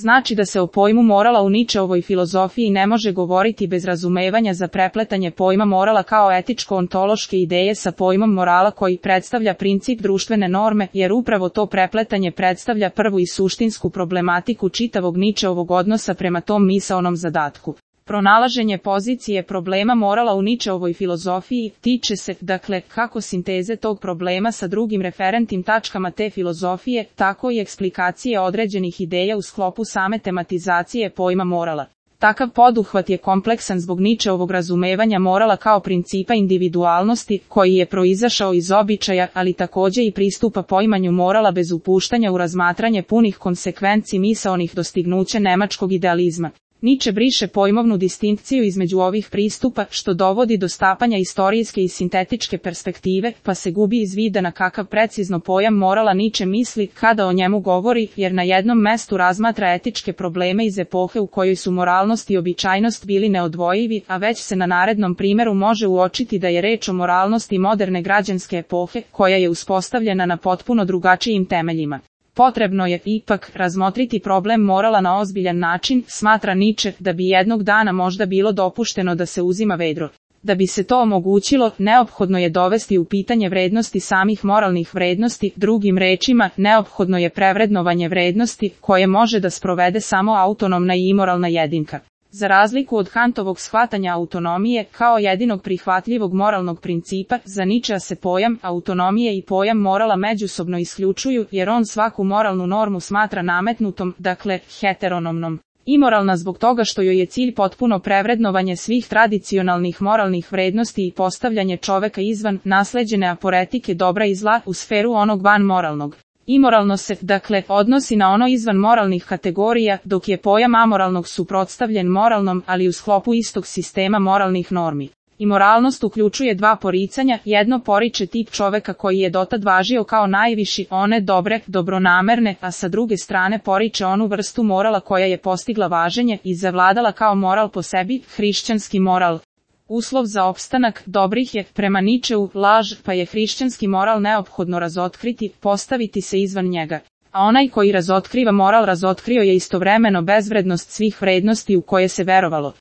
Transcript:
Znači da se o pojmu morala u Nietzscheovoj filozofiji ne može govoriti bez razumevanja za prepletanje pojma morala kao etičko-ontološke ideje sa pojmom morala koji predstavlja princip društvene norme, jer upravo to prepletanje predstavlja prvu i suštinsku problematiku čitavog Nietzscheovog odnosa prema tom misaonom zadatku. Pronalaženje pozicije problema morala u Nietzscheovoj filozofiji tiče se, dakle, kako sinteze tog problema sa drugim referentnim tačkama te filozofije, tako i eksplikacije određenih ideja u sklopu same tematizacije pojma morala. Takav poduhvat je kompleksan zbog Nietzscheovog razumevanja morala kao principa individualnosti, koji je proizašao iz običaja, ali takođe i pristupa poimanju morala bez upuštanja u razmatranje punih konsekvenci misaonih dostignuća nemačkog idealizma. Nietzsche briše pojmovnu distinkciju između ovih pristupa, što dovodi do stapanja istorijske i sintetičke perspektive, pa se gubi iz vida na kakav precizno pojam morala Nietzsche misli kada o njemu govori, jer na jednom mestu razmatra etičke probleme iz epohe u kojoj su moralnost i običajnost bili neodvojivi, a već se na narednom primeru može uočiti da je reč o moralnosti moderne građanske epohe, koja je uspostavljena na potpuno drugačijim temeljima. Potrebno je, ipak, razmotriti problem morala na ozbiljan način, smatra Nietzsche, da bi jednog dana možda bilo dopušteno da se uzima vedro. Da bi se to omogućilo, neophodno je dovesti u pitanje vrednosti samih moralnih vrednosti, drugim rečima, neophodno je prevrednovanje vrednosti, koje može da sprovede samo autonomna i imoralna jedinka. Za razliku od Kantovog shvatanja autonomije, kao jedinog prihvatljivog moralnog principa, za Nietzschea se pojam autonomije i pojam morala međusobno isključuju, jer on svaku moralnu normu smatra nametnutom, dakle, heteronomnom. Imoralna zbog toga što joj je cilj potpuno prevrednovanje svih tradicionalnih moralnih vrednosti i postavljanje čoveka izvan nasleđene aporetike dobra i zla u sferu onog van moralnog. Imoralno se, dakle, odnosi na ono izvan moralnih kategorija, dok je pojam amoralnog suprotstavljen moralnom, ali u sklopu istog sistema moralnih normi. Imoralnost uključuje dva poricanja, jedno poriče tip čoveka koji je dotad važio kao najviši, one dobre, dobronamerne, a sa druge strane poriče onu vrstu morala koja je postigla važenje i zavladala kao moral po sebi, hrišćanski moral. Uslov za opstanak dobrih je, prema Nietzscheu, laž, pa je hrišćanski moral neophodno razotkriti, postaviti se izvan njega. A onaj koji razotkriva moral razotkrio je istovremeno bezvrednost svih vrednosti u koje se verovalo.